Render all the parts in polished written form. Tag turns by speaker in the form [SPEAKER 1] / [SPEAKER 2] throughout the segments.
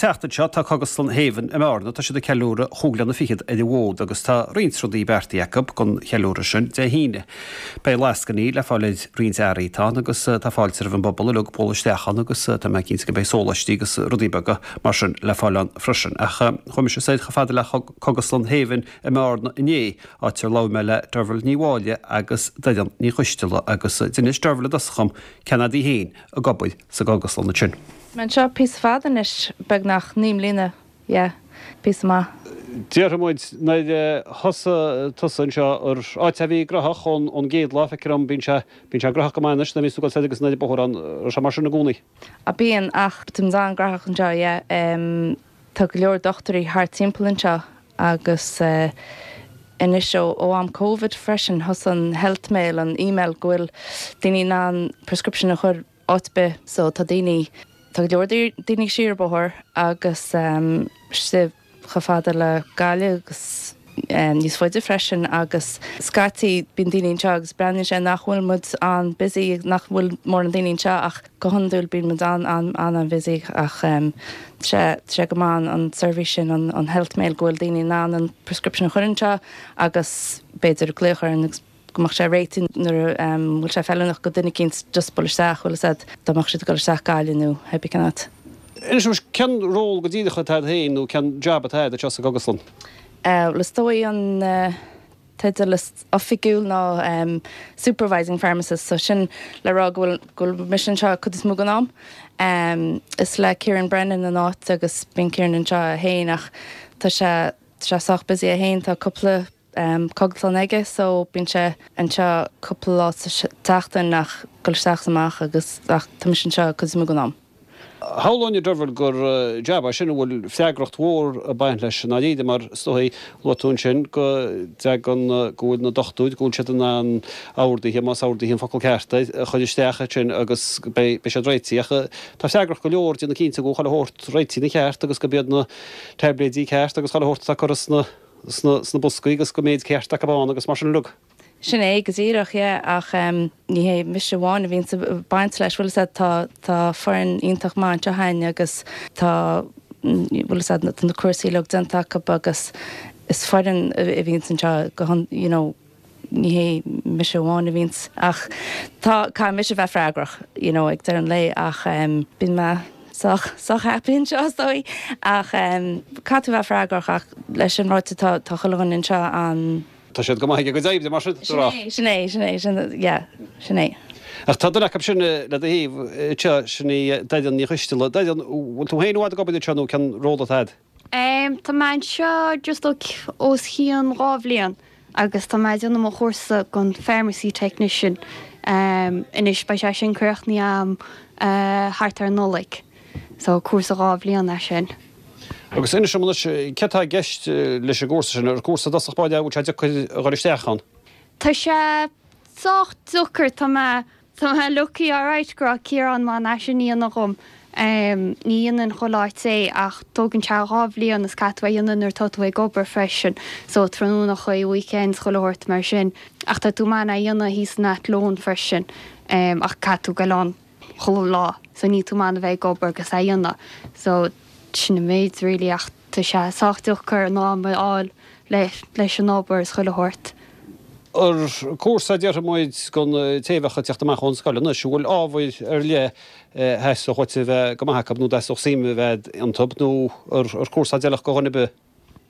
[SPEAKER 1] tseachtain seo tá Cógaslann Haven i mBearna, tá siad ag ceiliúradh chúig bliana fichead ar an bhfód agus tá roinnt rudaí beartaithe acu don cheiliúradh sin Dé hAoine. Beidh lascainí le fáil ar roinnt earraí atá ann agus tá fáilte roimh an bpobal uilig bualadh isteach ann agus tá mé cinnte go mbeidh sóláistí agus rudaí beaga mar sin le fáil ann freisin. Ach chuaigh mise soir chomh fada le Cógaslann Haven i mBearna inné, áit ar labhair mé le Derval Ní Mháille agus Doireann Ní Choisteala agus d'inis Derval i dtosach dhom cén fhad í féin ag obair sa gcógaslann ansin.
[SPEAKER 2] Mé anseo píosa fada anois, beagnach 9 mbliana, yeah, píosa maith.
[SPEAKER 1] Déarfaidh muid, nuair a thosaigh tusa anseo, ar áit a bhí graitheach ón gcéad lá, feictear dom, bíonn sé, bíonn sé graitheach go maith anois nuair a bhíonns tú ag dul soir agus anoir an bóthar ann, raibh sé mar sin i gcónaí?
[SPEAKER 2] Ah bíonn, ach táimid an-graitheach anseo, yeah. Tá go leor dochtúirí thart timpeall anseo agus anois ó am Covid freisin, thosaigh an health mail, an email go bhfuil daoine in ann prescription a chur áit ar bith so tá daoine, tá go leor daoine siar an bóthar agus istigh chomh fada le Gaillimh agus níos faide freisin agus scaití bíonn daoine anseo agus breathnaíonn sé nach bhfuil muid an-busy nach bhfuil mórán daoine anseo ach go hiondúil bíonn muid an-an-an-an-busy ach tá sé tá sé go maith an seirbhís sin an health mail go bhfuil daoine in ann an prescription a chur anseo agus b'fhéidir glaoch orainn agus go mbeadh sé réitithe nuair a bhfuil sé feiliúnach go duine eicínt just bualadh isteach, bhfuil fhios a'd, dá mbeadh siad ag dul isteach Gaillimh nó pé bith cén áit.
[SPEAKER 1] Inis dom, cén ról go díreach atá a'd féin nó cén jab atá a'd anseo sa gcógaslann?
[SPEAKER 2] Bhuel is dóigh an teideal is oifigiúil ná Supervising Pharmacist so sin le rá go bhfuil, go bhfuil mise anseo cuid is mó den am. Is le Kieran Brennan an áit agus bíonn Kieran anseo é féin ach tá sé, tá sé sách busy é féin, tá cúpla cógaslann aige so bíonn sé anseo cúpla lá sa tseachtain ach dul isteach is amach agus ach tá mise anseo cuid is mó den am.
[SPEAKER 1] Shamhlóinn a Derval gur jab é sin a bhfuil freagracht mhór ag baint leis i ndáiríre mar is dóigh, luaigh tú ansin go dtagann, go bhfuil na dochtúirí, go bhfuil siad in ann orduithe, más orduithe an focal ceart air, a chur isteach ansin agus beidh siad réitithe ach tá freagracht go leor déanamh cinnte go bhfuil chuile shórt réitithe ina cheart agus gurb iad na taibléidí ceart agus chuile shórt atá curtha sna sna boscaí agus go méid ceart acu ann agus mar sin uilig.
[SPEAKER 2] Sin é go díreach, yeah, ach ní hé mise amháin a bhíonns ag baint leis, bhfuil fhios a'd, tá, tá foireann iontach maith anseo a'inn agus tá, bhfuil fhios a'd, tá na cúrsaí uilig déanta acu agus is foireann a bhíonns anseo go hon, you know, ní hé mise amháin a bhíonns ach tá, caithfidh mise bheith freagrach, you know, ag deireadh an lae ach bíonn mé sách, sách happy anseo is dóigh ach caithfidh tú bheith freagrach ach leis sin ráite tá, tá chuile dhuine anseo an.
[SPEAKER 1] Tá siad go maith ag a gcuid oibre mar sin,
[SPEAKER 2] Sin é, sin é, sin é, sin, yeah, sin é.
[SPEAKER 1] Ach tá duine acu sin le do thaobh anseo, sin í Doireann Ní Choisteala. Doireann, bhfuil tú féin i bhfad ag obair anseo nó cén ról atá agat?
[SPEAKER 3] Tá mé anseo just os cionn 2 bhliain agus tá mé ag déanamh mo chúrsa don Pharmacy Technician anois. Beidh sé sin críochnaithe a'm thart ar an Nollaig. So cúrsa 2 bhliain é sin.
[SPEAKER 1] Agus inis dom anois, céard tá i gceist leis an gcúrsa sin? Ar cúrsa i dtosach báire é, an bhfuil sé deacair a dhul isteach ann?
[SPEAKER 3] Tá sé sách deacair. Tá mé Tá mé lucky alright go raibh Ciarán in ann é sin a dhéanamh dhom. Ní dhéanann chuile áit é ach tógann sé 2 bhliain is caithfidh tú é a dhéanamh nuair atá tú ag obair freisin so tráthnónachaí, weekends, chuile shórt mar sin. Ach tá tú in ann é a dhéanamh thíos in Athlone freisin ach caithfidh tú goil ann chuile lá so níl tú in ann a bheith ag obair agus é a dhéanamh so sin an méid really ach tá sé sách deacair an am a fháil leis an obair is chuile shórt.
[SPEAKER 1] Ar cúrsa, déarfaidh muid, don té a bheadh ag teacht amach ón scoil anois, an bhfuil ábhair ar leith a theastódh uait a bheith go maith acu nó dteastódh suim a bheith iontu nó ar cúrsa a d'fheilfeadh do dhuine ar bith?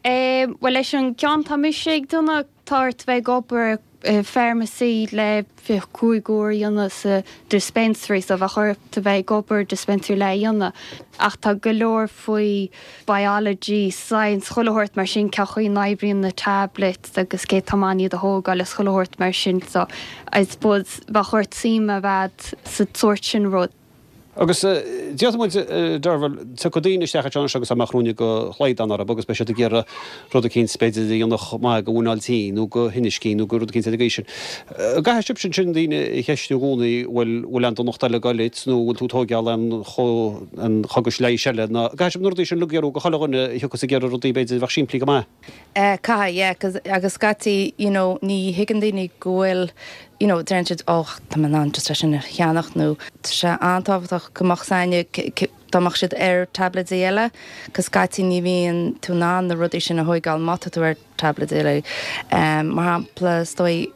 [SPEAKER 3] Bhuel, leis an gceann tá mise ag déanamh, tá ort bheith ag obair i pharmacy le 25 uair a dhéanamh sa dispensary so bheadh ort a bheith ag obair dispensary le é a dhéanamh ach tá go leor faoi biology, science, chuile shórt mar sin, cén chaoi a n-oibríonn na tablets agus cé tá in ann iad a thógáil is chuile shórt mar sin so I suppose bheadh ort suim a bheith a'd sa tsórt sin rud.
[SPEAKER 1] Agus déarfaidh muid, Derval, tiocfaidh daoine isteach anseo anois agus dá mbeadh ruainne de shlaghdán orthu agus beidh siad ag iarraidh rud eicínt b'fhéidir a dhéanfadh maith do mhuineál tinn nó do thinneas cinn nó do rud eicínt ar an gcaoi sin. An gcaithfidh sibhse ansin daoine a cheistiú i gcónaí bhfuil bhfuil aon donacht eile ag goil duit nó bhfuil tú ag tóigeáil aon aon chogais leighis eile nó an gcaithfidh sibh na rudaí sin uilig a fhiafraí de chuile dhuine a thiocfas ag iarraidh rudaí b'fhéidir a bheadh simplí go maith?
[SPEAKER 2] Caithfidh, yeah, 'cause agus scaití, you know, ní thuigeann daoine go bhfuil, you know, deireann siad, oh, tá mé in ann just é sin a cheannach nó tá sé an-tábhachtach go mbeadh 's a'inne. dá mbeadh siad ar tablaidí eile, 'cause scaití ní bhíonn tú in ann na rudaí sin a thóigeáil má tá tú ar tablaidí eile. Mar shampla, is dóigh,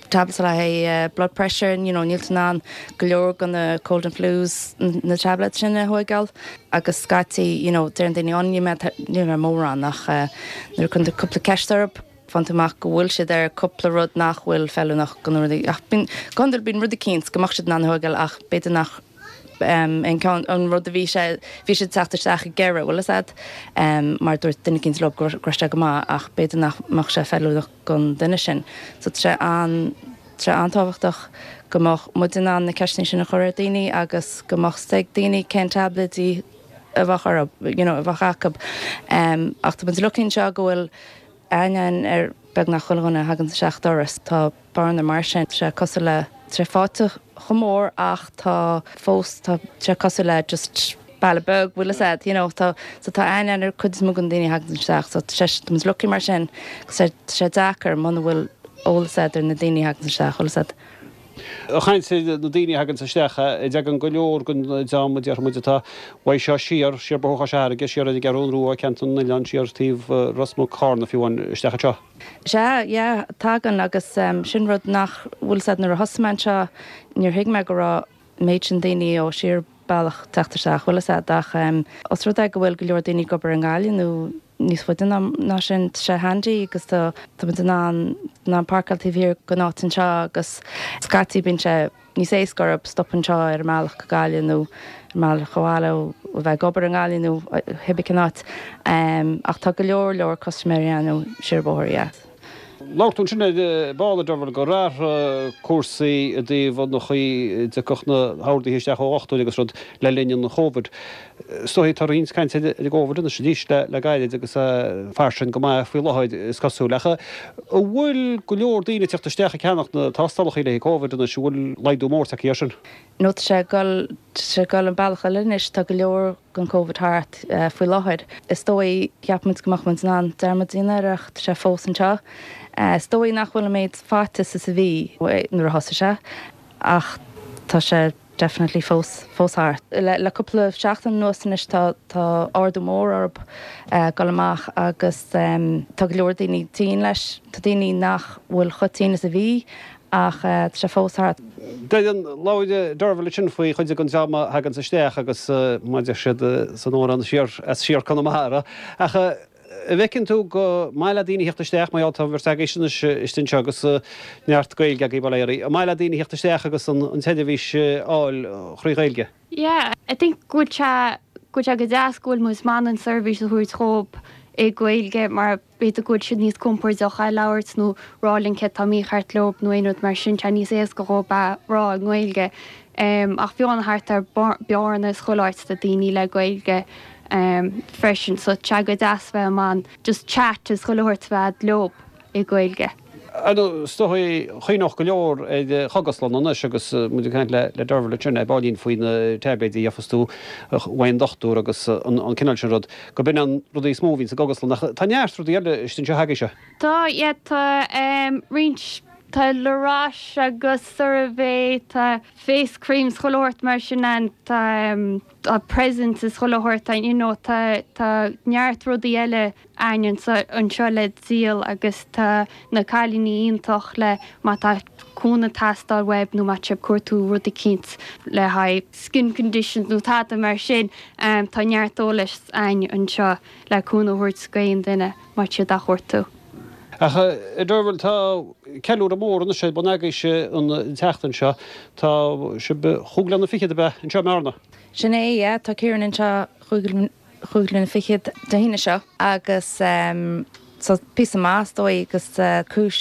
[SPEAKER 2] tablets le haghaidh blood pressure, you know, níl tú in ann go leor de na cold and flus, na tablets sin a thóigeáil agus scaití, you know, deireann daoine, oh níl mé, níl mé mórán ach nuair a cuireann tú cúpla ceist orthu, faigheann tú amach go bhfuil siad ar cúpla rud nach bhfuil feiliúnach do na rudaí ach bíonn, go hiondúil bíonn rud eicínt go mbeadh siad in ann a thóigeáil ach b'fhéidir nach an ceann, an rud a bhí sé, bhí siad ag teacht isteach ag iarraidh, bhfuil fhios a'd, mar dúirt duine eicínt leo go raibh sé go maith ach b'fhéidir nach mbeadh sé feiliúnach don duine sin. So tá sé an, tá sé an-tábhachtach go mbeadh muid in ann na ceisteanna sin a chur ar daoine agus go mbeadh 's ag daoine cén tablaidí a bheadh orthu, you know, a bheadh acu. Ach tá muid lucky anseo go bhfuil aithne againn ar beagnach chuile dhuine a thagann isteach doras. Tá Bearna mar sin. Tá sé cosúil le, tá sé fáite chomh mór ach tá fós, tá sé cosúil le just baile beag, bhfuil fhios a'd, you know, tá, so tá aithne againn ar cuid is mó den daoine a thagann isteach so tá sé, tá muid lucky mar sin agus tá sé deacair muna bhfuil eolas a'd ar na daoine a thagann isteach, bhfuil fhios a'd.
[SPEAKER 1] Ag caint ar na daoine a thaganns isteach, an dtagann go leor den dream a déarfaidh muid atá uaidh seo siar, siar Bóthar Chois Fharraige, siar ar an gCeathrún Rua, ceantar na nOileán, siar taobh Ros Muc, Carna fiú amháin, isteach anseo.
[SPEAKER 2] Sea, yeah, tagann agus sin rud nach bhfuil 's a'd nuair a thosaigh mé anseo níor thuig mé go raibh an méid sin daoine ó siar bealach teacht isteach, bhfuil 'fhios a'd ach os rud é go bhfuil go leor daoine ag obair i nGaillimh nó níos faide ná sin, tá sé handy agus tá tá muid in ann in ann páirceáil taobh thiar den áit anseo agus scaití bíonn sé níos éasca orthu stop anseo ar a mbealach go Gaillimh nó ar a mbealach abhaile ó bheith ag obair i nGaillimh nó cibé cén áit. Ach tá go leor leor custaiméirí ann ó siar an bóthar, yeah.
[SPEAKER 1] Labhair tú ansin ar ball, a Derval, gur athraigh cúrsaí i dtaobh an chaoi a dtiocfadh na horduithe isteach ó dhochtúir agus rud le linn an Chóvid. Is dóigh tá roinnt cainte ar an gCóvid anois arís le gairid agus é fairsing go maith faoi láthair is cosúil. Ach an bhfuil go leor daoine ag teacht isteach ag ceannach na tástálacha le haghaidh Covid anois? An bhfuil laghdú mór tagtha air sin?
[SPEAKER 2] No tá sé ag dul, tá sé ag dul an bealach eile anois, tá go leor den Covid thart faoi láthair. Is dóigh, cheap muid go mbeadh muid in ann dearmad a dhéanamh air ach tá sé fós anseo. Is dóigh nach bhfuil an méid faitíos is a bhí nuair a thosaigh sé ach tá sé definitely fós, fós thart. Le cúpla seachtain anuas anois tá, tá ardú mór orthu ag dul amach agus tá go leor daoine tinn leis. Tá daoine nach bhfuil chomh tinn is a bhí ach tá sé fós thart.
[SPEAKER 1] Deireann, labhair Derval ansin faoi chuid den dream a thaganns isteach agus mar a deir siad san amhrán siar as siar Conamara. Ach an bhfeiceann tú gur maith le daoine theacht isteach, mar gheall tá an bheirt agaibhse anois istigh anseo agus neart Gaeilge agaibh bail ó Dhia oraibh, an maith le daoine theacht isteach agus an tseirbhís a fháil thrí Ghaeilge?
[SPEAKER 3] Yeah, I think go bhfuil sé, go bhfuil sé go deas go bhfuil muid in ann an seirbhís a thabhairt dhóibh i Gaeilge mar b'fhéidir go bhfuil siad níos compordach é labhairt nó rá linn céard tá mícheart leo nó aon rud mar sin, tá sé níos éasca dhóibh é rá i nGaeilge. Ach fiú amháin thart ar Bearna is chuile áit tá daoine le Gaeilge freisin so tá sé go deas bheith in ann just chat is chuile shórt a bheith a'd leo i Gaeilge.
[SPEAKER 1] Ar ndóigh, is dóigh, chuimhneodh go leor ar chógaslann anois agus muid ag caint le Derval ansin ar baillín faoi na taibléidí a gheofas tú uaidh an dochtúir agus an cineál sin rud, go b'in an rudaí is mó a bhíonn sa gcógaslann ach tá neart rudaí eile istigh anseo agaibhse.
[SPEAKER 3] Tá, yeah, tá roinnt, tá La Roche agus CeraVe, tá face creams chuile shórt mar sin ann, tá tá presents is chuile shórt, tá you know tá tá neart rudaí eile a'ainn anseo le díol agus tá na cailíní iontach le má tá cúnamh ag teastáil uaibh nó má tá sibh ag cuartú rud eicínt le haghaidh skin conditions nó tada mar sin tá neart eolais a'ainn anseo le cúnamh a thabhairt d'aon duine má tá siad á chuartú.
[SPEAKER 1] Ach a Derval, tá ceiliúradh mór anois ar bun agaibhse an tseachtain seo. Tá sibh chúig bliana fichead ab ea anseo i mBearna?
[SPEAKER 2] Sin é, yeah. Tá Ciarán anseo chúig chúig bliana fichead Dé hAoine seo agus so píosa maith is dóigh agus cúis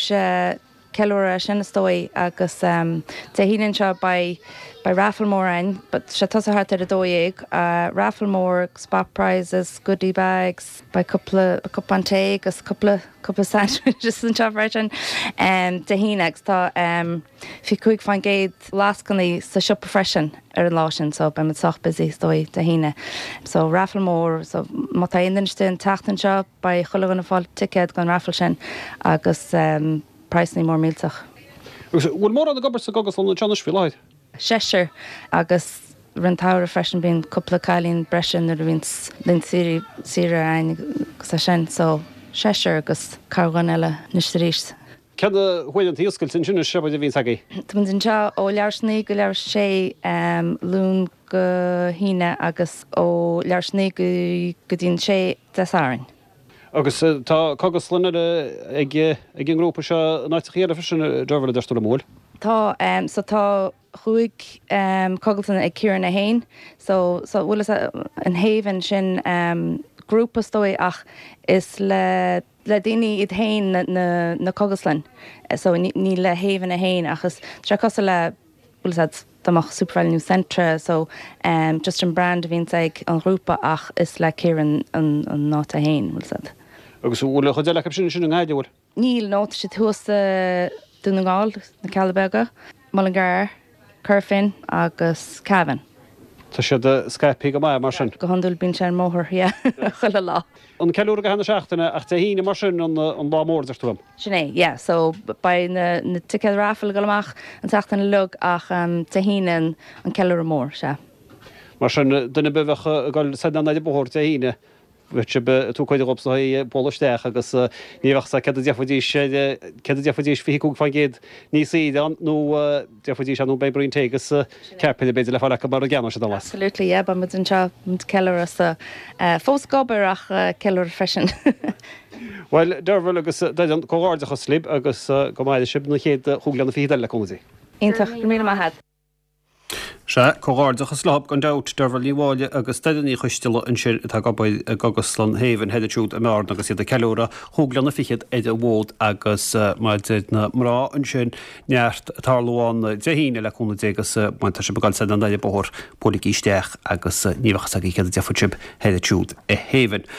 [SPEAKER 2] ceiliúradh é sin is dóigh agus Dé hAoine anseo beidh beidh raffle mór ann but sé tosaithe thart ar 12 raffle mór spot prizes goodie bags beidh cúpla cupán tae agus cúpla cúpla sandwiches anseo freisin Dé hAoine agus tá 25% lascainí sa siopa freisin ar an lá sin so beidh muid sách busy is dóigh Dé hAoine. So raffle mór so má tá aon duine istigh an tseachtain seo beidh chuile dhuine ag fáil ticéad don raffle sin agus praghsanna mór millteach.
[SPEAKER 1] Agus bhfuil mórán ag obair sa gcógaslann anseo anois faoi láthair?
[SPEAKER 2] Seisear agus. Rith an tsamhraidh freisin bíonn cúpla cailín breise nuair a bhíonns laethanta saoire saoire againn agus é sin so seisear agus corrdhuine eile anois is arís.
[SPEAKER 1] Cé na huaireanta oscailte ansin anois a bhíonns agaibh?
[SPEAKER 2] Táimid anseo ó leathuair tar éis a 9 go leathuair tar éis a 6 Luan go hAoine agus ó leathuair tar éis a 9 go dtí an 6 Dé Sathairn.
[SPEAKER 1] Agus tá cogaslann eile ag an ngrúpa seo in áiteachaí eile freisin, Derval, a deir tú liom, an bhfuil?
[SPEAKER 2] Tá, so tá chúig cogaltanna ag Ciarán é fhéin, so, so bhfuil fhios a'd, an Haven sin grúpa is dóigh ach is le, le daoine iad fhéin na, na, na cogaslainn, so ní le Haven é fhéin ach is, tá sé cosúil le, bhfuil fhios a'd, dá mbeadh Supervalu nó Centra so just an brand a bhíonns ag an ghrúpa ach is le Ciarán an, an áit é fhéin, bhfuil fhios a'd.
[SPEAKER 1] Agus an bhfuil an chuid eile acu sin ansin i nGaillimh, bhfuil?
[SPEAKER 2] Níl, no, tá siad thuas i Dún na nGall, na Cealla Beaga, Mullingar, Corofin agus Cavan.
[SPEAKER 1] Tá siad scaipthe go maith mar sin.
[SPEAKER 2] Go hiondúil bíonn sé ar an mbóthar, yeah, chuile lá.
[SPEAKER 1] An ceiliúradh go ceann na seachtaine ach Dé hAoine mar sin an lá mór, deir tú liom.
[SPEAKER 2] Sin é, yeah, so beidh na na ticéid raffle ag dul amach an tseachtain uilig ach Dé hAoine an an ceiliúradh mór, sea.
[SPEAKER 1] Mar sin, duine ar bith a bheadh ag dul soir anonn ar an bhóthar Dé hAoine, Bheadh sibh ag tabhairt cuireadh dhóibh sna bualadh isteach agus ní bheadh sa céard a déarfaidís ar céard a déarfaidís 25% níos saoire ann nó déarfaidís ar ndóigh beidh braon tae agus ceapaire b'fhéidir le fáil acu mar a gceannóidh siad an las.
[SPEAKER 2] Absolutely yeah beidh muid anseo muid ag ceiliúradh so fós ag obair ach ceiliúradh freisin.
[SPEAKER 1] Bhuel Derval agus Doireann comhghairdeachas libh agus go maire sibh na chéad chúig bliana fichead eile le cúnamh Dé.
[SPEAKER 2] Iontach, go raibh míle maith a't.
[SPEAKER 1] Sea, comhghairdeachas leo gan dabht, Derval Ní Mháille agus Doireann Ní Choisteala ansin atá ag obair i gCogaslann Haven thoir ansiúd i mBearna agus iad ag ceiliúradh chúig bliana fichead ar an bhfód agus mar a deir na mná ansin, neart ag tarlú ann Dé hAoine le cúnamh Dé agus má tá sibh ag dul soir anonn ar an bóthar, buailigí isteach agus ní bheadh fhios agaibh céard a déarfadh sibh thoir ansiúd i Haven.